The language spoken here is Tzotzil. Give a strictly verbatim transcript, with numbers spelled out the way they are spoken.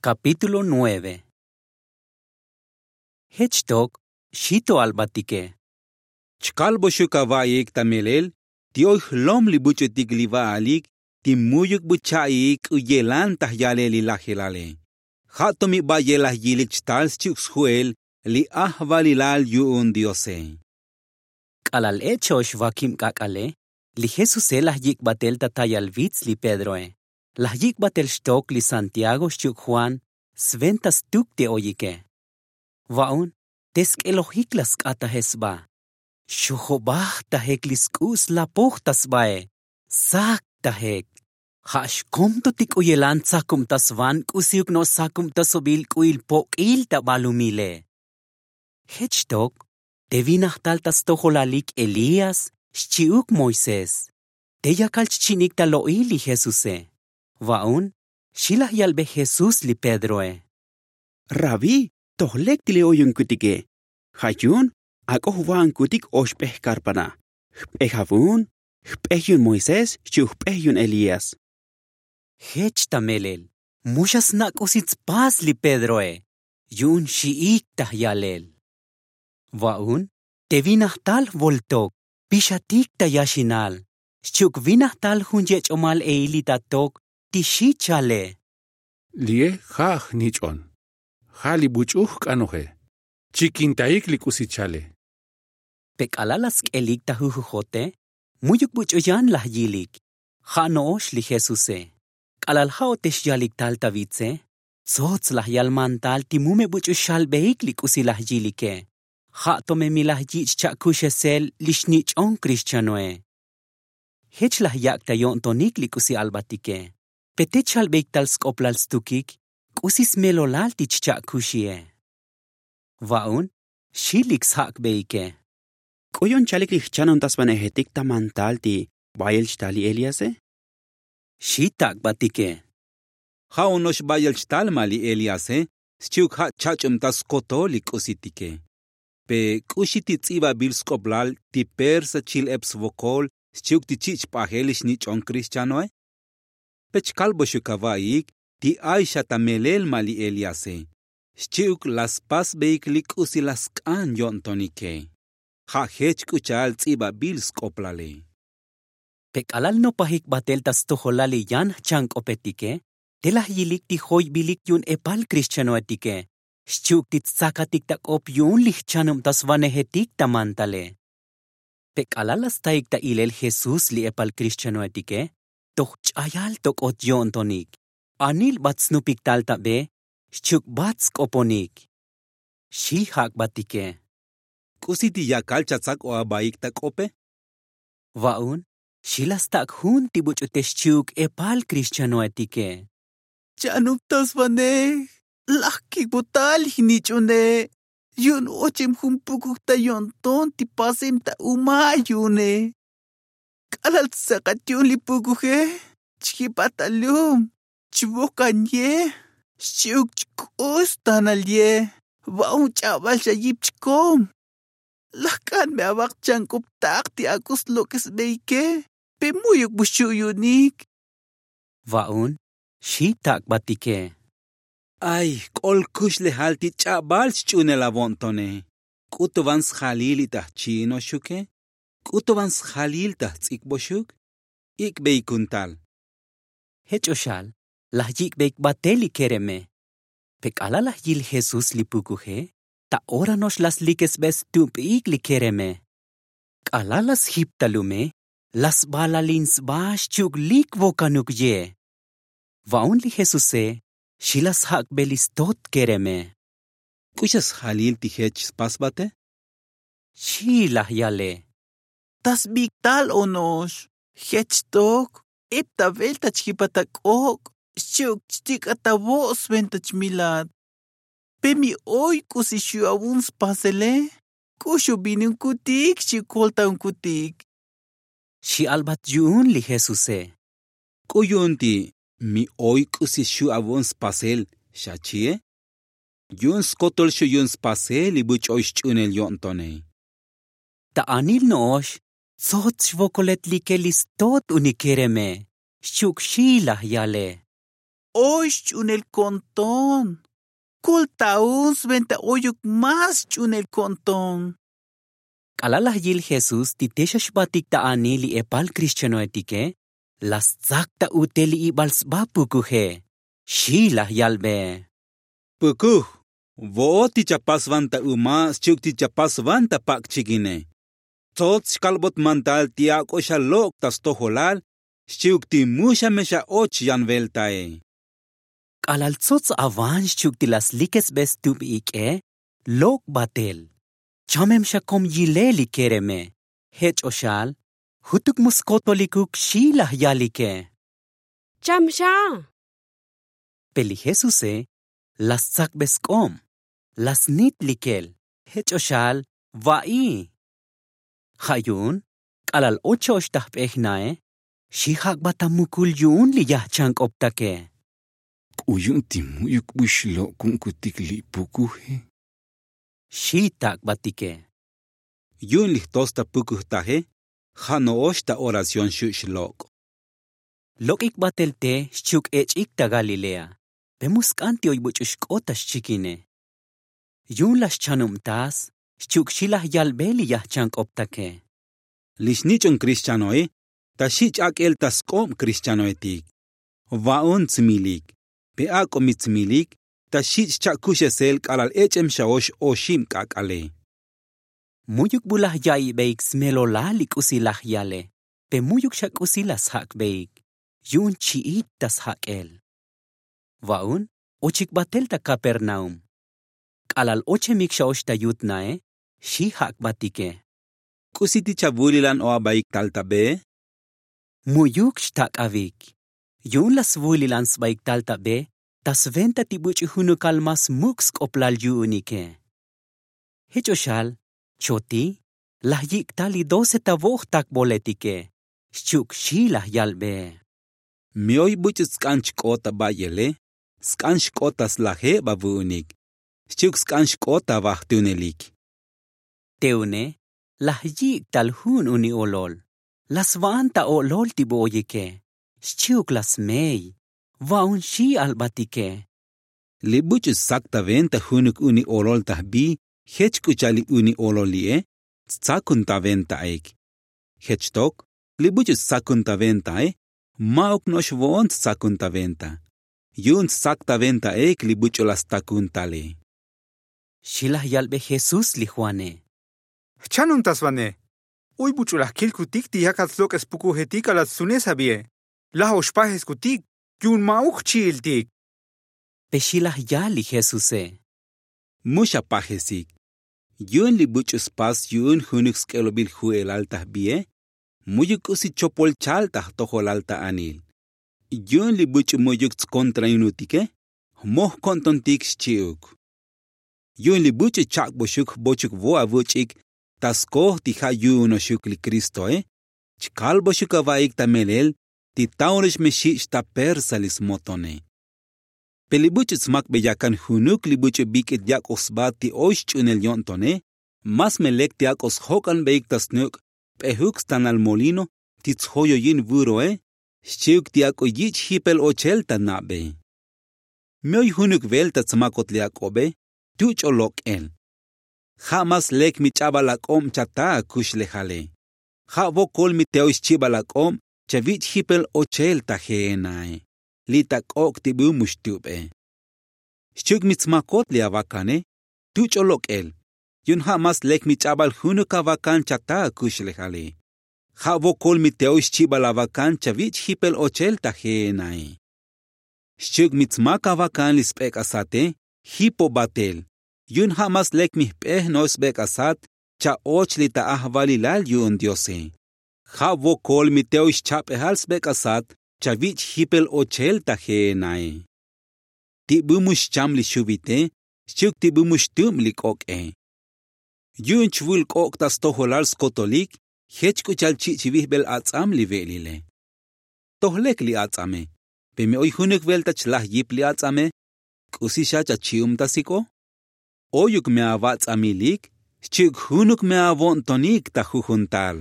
Kapítulo nueve. Jech tok xi to albatike. Chkalboxuk ava'iik ta melel ti oy jlom li buch'utik li va'alik ti mu'yuk bu cha'iik k'u yelan ta jyalel li lajelale. Ja' to mi ba'yel laj yilik chtal xchi'uk sju'el li ajvalilal yu'un diose. K'alal ech ox vakib k'ak'ale, li jesuse laj yik' batel ta tayal vits li pedroe. Laj yik' batel xtok li santiago xchi'uk juan sventa stuk te oyike. Va'un te sk'elojik laj sk'ataje sba. Xojobaj tajek li sk'u' slapoj ta sbae. Sak tajek. Ja' xkom to ti k'u yelan tsakub ta svan k'usiuk no' sakub ta sobil k'u'il pok'il ta balumile. Jech tok te vinajtal ta stojolalik elías xchi'uk moisés. Te yakal chchi'nik ta lo'il li jesuse. Va'un xi laj yalbe jesús li pedroe. Rabí, toj lek ti li oyunkutike. Ja' yu'un ak'o jva'ankutik oxp'ej karpana. Jp'ej avun jp'ej yu'un moisés xchi'uk jp'ej yu'un elías. Jech ta melel mu xa sna' k'usi tspas li pedroe. Yu'un xi'ik ta jyalel. Va'un te vinajtal jvoltok pixatik ta yaxinal. Xchi'uk vinajtal jun yech'omal eilitatok ti xi chale. Li'e ja' jnich'on. Ja' li buch'u jk'anoje. Chikintaik li k'usi chale. Pe k'alal laj sk'elik ta jujujote mu'yuk buch'u yan laj yilik. Ja' no'ox li jesuse. K'alal ja' o te xyalik tal ta vitse tsots laj yal mantal ti mu me buch'u xalbeik li k'usi laj yilike. Ja' to me mi laj yich' cha'kuxesel li xnich'on krixchanoe. Jech laj yak' ta yo'ntonik li k'usi albatike. Pe te chalbeik tal sk'oplal stukik k'usi smelolal ti chcha'kuxie. Va'un xi lik sjak'beike. K'u yu'un chalik li jchanun ta svanejetik ta mantal ti bayel chtal li eliase. Xi tak'batike. Ja' uno'ox bayel chtal ma li eliase xchi'uk ja' chach'ub ta skotol li k'usitike. Pe k'uxi ti ts'ibabil sk'oplal ti persa chil'eb svokol xchi'uk ti chi' chp'ajel li xnich'on krixchanoe. Pe chkalboxuk ava'iik ti ay xa ta melel ma li eliase. Xchi'uk laj spasbeik li k'usi laj sk'an yo'ntonike. Ja' jech k'u cha'al ts'ibabil sk'oplale. Pe k'alal nopajik batel ta stojolal li yan jchank'opetike te laj yilik ti joybilik yu'un epal krixchanoetike. Xchi'uk ti tstsakatik ta k'op yu'un li jchanub ta svanejetik ta mantale. Pe k'alal laj staik ta ilel jesús li epal krixchanoetike toj ch'ayal tok'ot yo'ntonik. Anil bat snupik tal ta be xchi'uk bat sk'oponik. Xi jak'batike. K'usi ti yakal chatsak'o abaik ta k'ope. Va'un xi laj stak' jun ti buch'u te xchi'uk epal krixchanoetike. Chanub ta svanej laj kikbotal jnich'une. Yu'un ocheb jun pukuj ta yo'nton ti paseb ta uma' yu'une. K'alal tsakat yu'un li pukuje chjipat ta lum chvokan ye. Xchi'uk chk'ux tanal ye. Va'un ch'abal xa yip chkom. Laj k'an me avak chank'optak ti ak'o slok'esbeike. Pe mu'yuk bu xu' yu'unik. Va'un xi tak'batike. Ay jk'ol kuxlejal ti ch'abal chch'uunel avo'ntone. K'u to van sjalil li ta jchi'inoxuke? K'u to van sjalil ta jts'ikboxuk? Ik'beik kuntal. Jech o xal laj yik'beik batel li kereme. Pe k'alal laj yil jesús li pukuje ta ora no'ox laj slikesbe stup'iik li kereme. K'alal laj sjip ta lume laj sbalalin sba xchi'uk lik vokanuk ye. Va'un li jesuse xi laj sjak'be li stot kereme. K'u xa sjalil ti jech spasbate? Xi laj yale. Ta sbik tal ono'ox jech tok ep ta velta chjipat ta k'ok' xchi'uk chtik'at ta vo' sventa chmilat. Pe mi oy k'usi xu' avun spasele k'u xu' vinunkutik xchi'uk koltaunkutik. Xi albat yu'un li jesuse. K'u yu'un ti mi oy k'usi xu' avo'on spasel xachi'e? Yu'un skotol xu' yu'un spasel li buch'oy xch'uunel yo'ntone. Ta anil no'ox tsots xvokolet like li stot unikereme xchi'uk xi laj yale. oy xch'unel ko'nton. Kolta'un sventa oyuk más xch'unel ko'nton. K'alal laj yil jesús ti te xa xbatik ta anil li epal krixchanoetike, la stsak ta utel li ibal sba pukuje. Xi laj yalbe. Pukuj, vo'ot ti chapas vanta uma' xchi'uk ti chapas vanta pak' chikine. Tsots xkalbot mantal ti ak'o xa lok' ta stojolal xchi'uk ti mu xa me xa och yan veltae. K'alal tsots avan xchi'uk ti la slikesbe stub ik'e, lok' batel. Chamem xa kom yile li kereme. Jech' oxal jutuk mu skotolikuk xi laj yalike. Cham xa. Pe li jesuse la stsakbe sk'ob, la snit likel. Jech' oxal va'i. Ja' yu'un k'alal och xa och ta jp'ej nae, xi jak'bat ta mukul yu'un li yajchank'optake. K'u yu'un ti mu'yuk bu xlok'u'unkutik li pukuje? Xi tak'batike. Yu'un li jtos ta pukujtaje ja' no'ox ta oración xu' xlok'. Lok'ik batel te xchi'uk ech'ik ta galilea, pe mu sk'an ti oy buch'u xk'ot ta xchikine. Yu'un laj xchanubtas xchi'uk xi laj yalbe li yajchank'optake. Li xnich'un krixchanoe ta xi ch'ak'el ta sk'ob krixchanoetik. Va'un tsmilik, pe ak'o mi tsmilik ta xi chcha'kuxesel k'alal ech'em xa ox oxib k'ak'ale. Mu'yuk bu laj ya'ibeik smelolal li k'usi laj yale, pe mu'yuk xa k'usi la sjak'beik. Yu'un chi'it ta sjak'el. Va'un ochik batel ta kapernaum. K'alal ochemik xa och ta yut nae, xi jak'batike. K'usi ti chavulilan o abaik tal ta be? Mu'yuk xtak'avik. Yu'un la svulilan sbaik tal ta be ta sventa ti buch'u junukal más muk' sk'oplal yu'unike. Jech' oxal choti laj yik'tal li doce ta vo'jtakboletike. Xchi'uk xi laj yalbe. Mi oy buch'u tsk'an chk'ot ta bayele, sk'an xk'ot ta slajeb avu'unik xchi'uk sk'an xk'ot ta vajtunelik. Te une laj yik'tal jun uni olol. La sva'an ta o'lol ti bu oyike. Xchi'uk la smey. Va'un xi albatike. Li buch'u stsak ta venta junuk uni olol ta jbi jech k'u cha'al li uni olol li'e, tstsakun ta ventaik. Jech tok li buch'u tstsakun ta ventae, ma'uk no'ox vo'on tstsakun ta venta. Yu'un tssak ta ventaik li buch'u la stakun tale. Xi laj yalbe jesús li juane. Jchanun ta svane. Oy buch'u laj kilkutik ti yakat slok'es pukujetik k'alal tsunes abie. Laj ox pajeskutik yu'un ma'uk jchi'iltik. Pe xi laj yal li jesuse. Mu xa pajesik. Yu'un li buch'u spas yu'un junuk sk'elobil ju'elal ta jbie, mu'yuk k'usi chopol chal ta jtojolal ta anil. Yu'un li buch'u mu'yuk tskontrainutike, jmoj ko'ntontik xchi'uk. Yu'un li buch'u chak'boxuk jbochuk vo avuch'ik ta skoj ti ja' yu'unoxuk li kristoe, chkalboxuk avaik ta melel ti taonox me xich' ta persa li smotone. Pe li buch'u tsmakbe yakan junuk li buch'u bik'it yak'oj sba ti oy xch'unel yo'ntone, más me lek ti ak'o sjok'anbeik ta snuk' p'ejuk stanal molino ti tsjoyoyin vuroe, xchi'uk ti ak'o yich' jipel ochel ta nabe. Mi oy junuk velta tsmakot li ak'obe, tu ch'o lok'el. Ja' más lek mi ch'abal ak'ob chata akuxlejale. Ja' vokol mi te oy xchibal ak'ob chavich' jipel ochel ta jeenae, li' ta k'ok' ti bu mu xtube. Xchi'uk mi tsmakot li avakane, tu ch'o lok'el. Yu'un ja' más lek mi ch'abal junuk avakan chata akuxlejale. Ja' vokol mi te oy xchibal avakan chavich' jipel ochel ta jeenae. Xchi'uk mi tsmak avakan li sbek'asate, jipo batel. Yu'un ja' más lek mi jp'ej no'ox sbek'asat cha'och li ta ajvalilal yu'un diose. Ja' vokol mi te oy xchap'ejal sbek'asat chavich' jipel ochel ta jeenae. Ti bu mu xcham li xuvite, xchi'uk ti bu mu xtub li k'ok'e. Yu'un chvul k'ok' ta stojolal skotolik, jech k'u cha'al chi' chivijbel ats'am li ve'lile. Toj lek li ats'ame. Pe mi oy junuk velta chlaj yip li ats'ame, k'usi xa chachi'umtasik'o? Oyuk me avats'amilik xchi'uk junuk me avo'ntonik ta jujuntal.